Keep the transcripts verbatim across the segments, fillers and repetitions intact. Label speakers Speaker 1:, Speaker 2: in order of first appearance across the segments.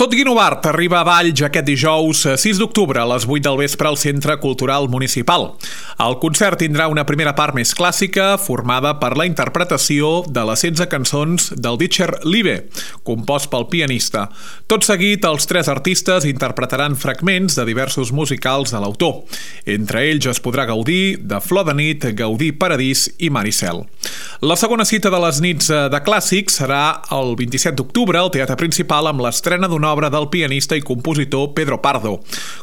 Speaker 1: Tot Guinovart arriba a Valls aquest dijous sis d'octubre a les vuit del vespre al Centre Cultural Municipal. El concert tindrà una primera part més clàssica formada per la interpretació de les setze cançons del Dieter Liebe, compost pel pianista. Tot seguit, els tres artistes interpretaran fragments de diversos musicals de l'autor. Entre ells es podrà gaudir de Flor de nit, Gaudí Paradís i Maricel. La segona cita de les nits de clàssics serà el vint-i-set d'octubre al Teatre Principal amb l'estrena d'una obra del pianista i compositor Pedro Pardo.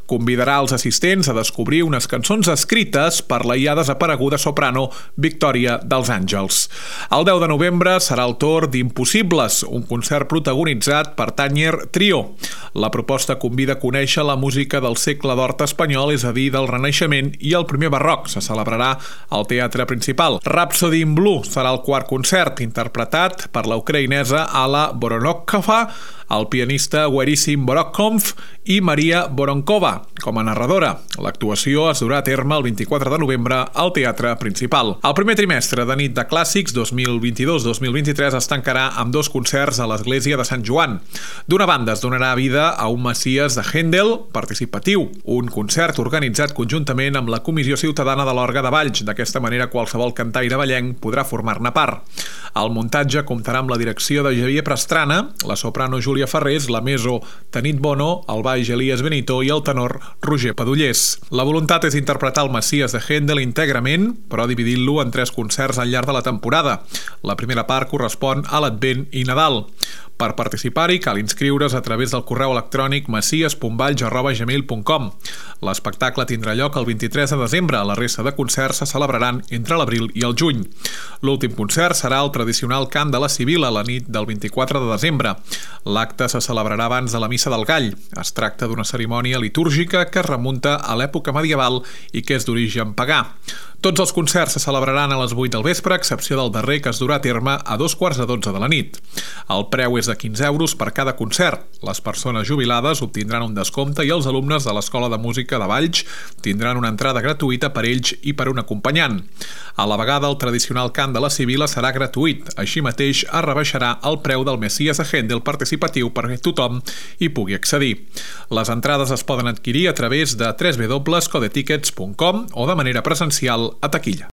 Speaker 1: Convidarà els assistents a descobrir unes cançons escrites per la ja desapareguda soprano Victòria dels Àngels. El deu de novembre serà el torn d'Impossibles, un concert protagonitzat per Tanyer Trio. La proposta convida a conèixer la música del segle d'or espanyol, és a dir, del Renaixement i el primer barroc. Se celebrarà al Teatre Principal. Rhapsody in Blue serà el quart concert, interpretat per la ucraïnesa Alla Voronkova, el pianista Werissim Borokhov i Maria Voronkova com a narradora. L'actuació es durà a terme el vint-i-quatre de novembre al Teatre Principal. El primer trimestre de nit de clàssics dos mil vint-i-dos dos mil vint-i-tres es tancarà amb dos concerts a l'Església de Sant Joan. D'una banda, es donarà vida a un Messies de Händel participatiu, un concert organitzat conjuntament amb la Comissió Ciutadana de l'Orga de Valls. D'aquesta manera, qualsevol cantaire vallenc podrà formar-ne part. El muntatge comptarà amb la direcció de Javier Pastrana, la soprano Júlia Ferrés, la meso Tanit Bono, el baix Elias Benito i el tenor Roger Padullers. La voluntat és interpretar el Messies de Händel íntegrament, però dividint-lo en tres concerts al llarg de la temporada. La primera part correspon a l'Advent i Nadal. Per participar-hi cal inscriure's a través del correu electrònic messies punt valls arroba gmail punt com. L'espectacle tindrà lloc el vint-i-tres de desembre. La resta de concerts se celebraran entre l'abril i el juny. L'últim concert serà el tradicional cant de la Sibil·la la nit del vint-i-quatre de desembre. L'acte se celebrarà abans de la Missa del Gall. Es tracta d'una cerimònia litúrgica que es remunta a l'època medieval i que és d'origen pagà. Tots els concerts se celebraran a les vuit del vespre, a excepció del darrer, que es durà a terme a dos quarts de dotze de la nit. El preu és de quinze euros per cada concert. Les persones jubilades obtindran un descompte i els alumnes de l'Escola de Música de Valls tindran una entrada gratuïta per ells i per un acompanyant. A la vegada, el tradicional cant de la Sibil·la serà gratuït. Així mateix, es rebaixarà el preu del Messies de Händel participatiu perquè tothom hi pugui accedir. Les entrades es poden adquirir a través de w w w punt codetickets punt com o de manera presencial a taquilla.